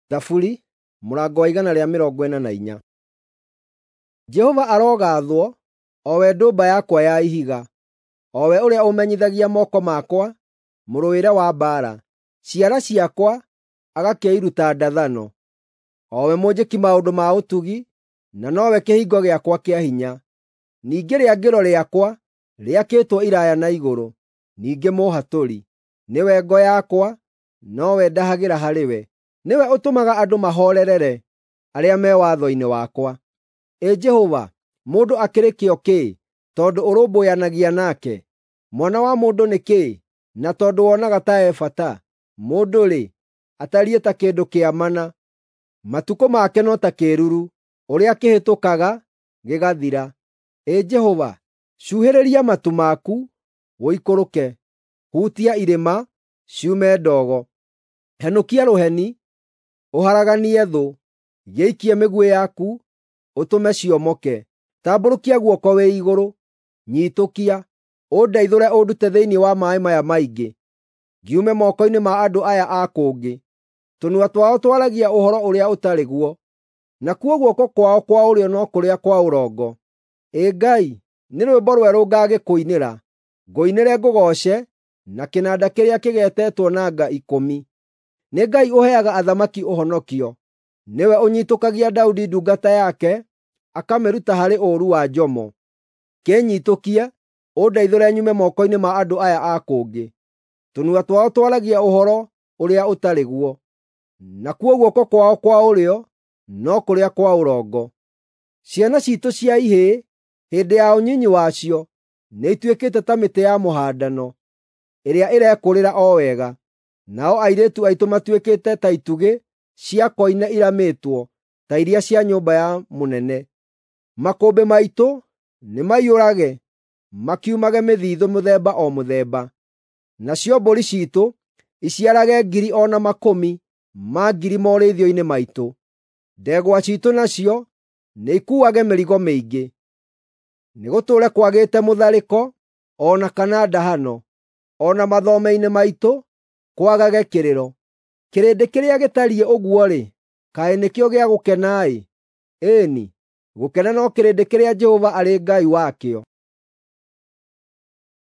Thaburi mũrango wa 144. Jehova arogaathwo, o we ndũmba yakwa ya ihiga, o we ũrĩa ũmenyithagia moko makwa mũrũĩre wa mbaara, ciara ciakwa agakĩiruta ndathano. O we mũnjĩki maũndũ ma ũtugi, na nowe kĩhingo gĩakwa kĩa hinya. Ningĩ rĩangĩro rĩakwa rĩakĩtwo iraaya na igũrũ, ningĩ mũũhatũri. Nĩwe ngo yakwa, nowe ndahagĩra harĩ we. Nĩwe ũtũmaga andũ mahoorerere arĩa me watho-inĩ wakwa. Ĩ Jehova, mũndũ akĩrĩ kĩo kĩ, tondũ ũrũmbũyanagia nake? Mwana wa mũndũ nĩ kĩĩ, na tondũ wonaga ta e bata? Mũndũ-rĩ, atariĩ ta kĩndũ kĩa mana. Matukũ make no ta kĩĩruru, ũrĩa kĩhĩtũkaga, gĩgathira. Ĩ Jehova, cuhĩrĩria matu maku, ũikũrũke; hutia irĩma, ciume ndogo. Henũkia rũheni, ũharaganie thũ; gĩikie mĩguĩ yaku, ũtũme cionoke. Tambũrũkia guoko wĩ igũrũ, nyiitũkia, ũndeithũre ũndute thĩinĩ wa maaĩ maya maingĩ, ngiume moko-inĩ ma andũ aya a kũngĩ. Tũnua twao twaragia ũhoro ũrĩa ũtarĩ guo, nakuo guoko kwao kwa ũrĩo no kũrĩa kwa ũrongo. Ĩ Ngai, nĩ rwĩmbo rwerũ ngagĩkũinĩra, ngũinĩre ngũgooce na kĩnanda kĩrĩa kĩgetetwo na nga ikũmi. Nĩ Ngai ũheaga athamaki ũhonokio. Nĩwe ũnyiitũkagia Daudi ndungata yake, akamĩruta harĩ ũũru wa njomo. Kĩnyiitũkie, ũndeithũre nyume moko-inĩ ma andũ aya a kũngĩ. Tũnua twao twaragia ũhoro ũrĩa ũtarĩ guo, nakuo guoko kwao kwa ũrĩo no kũrĩa kwa ũrongo. Ciana ciitũ cia ihĩĩ, hĩndĩ ya ũnyinyi wacio, nĩituĩkĩte ta mĩtĩ ya mũhandano ĩrĩa ĩrekũrĩra o wega. Nao airĩtu aitũ matuĩkĩte ta itugĩ cia koine iramĩtwo ta iria cia nyũmba ya mũnene. Makũmbĩ maitũ nĩmaiyũrage makiumage mĩthithũ mĩthemba o mũthemba. Nacio mbũri ciitũ iciarage ngiri o na makũmi ma ngiri morĩithio-inĩ maitũ. Ndegwa ciitũ nacio nĩikuuage mĩrigo mĩingĩ. Nĩgũtũũre kwagĩte mũtharĩko o na kana ndahano, o na mathome-inĩ maitũ kwagage kĩrĩro. Kĩrĩndĩ kĩrĩa gĩtariĩ ũguo-rĩ, kaĩ nĩkĩo gĩa gũkena-ĩ! Ĩĩ-ni, gũkena no kĩrĩndĩ kĩrĩa Jehova arĩ Ngai wakĩo.